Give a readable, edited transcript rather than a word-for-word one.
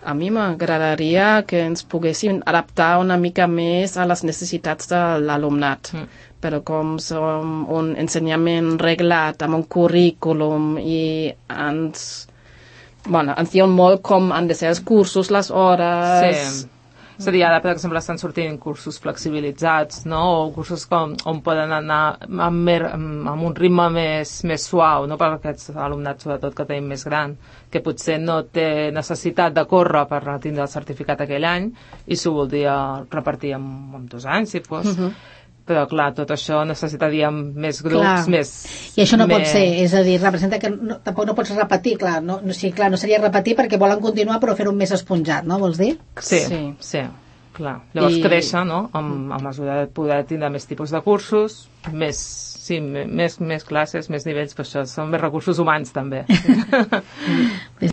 A mi m'agradaria que ens poguéssim adaptar una mica més a les necessitats de l'alumnat. Però com som un ensenyament reglat amb un currículum i ens diuen molt com han de ser els cursos, les hores... Sí. És a dir, ara, per exemple, estan sortint cursos flexibilitzats, no? O cursos on poden anar amb un ritme més suau, no? Per aquests alumnats, sobretot, que tenim més gran, que potser no té necessitat de córrer per tindre el certificat aquell any i s'ho voldria repartir en 2 anys, si fos. Però, clar, tot això necessitaríem més grups, més... I això no pot ser, és a dir, representa que tampoc no pots repetir, clar, no seria repetir perquè volen continuar però fer-ho més esponjat, no? Vols dir? Sí, clar. Llavors créixer, no?, a mesura de poder tindre més tipus de cursos, més classes, més nivells, però això són més recursos humans, també.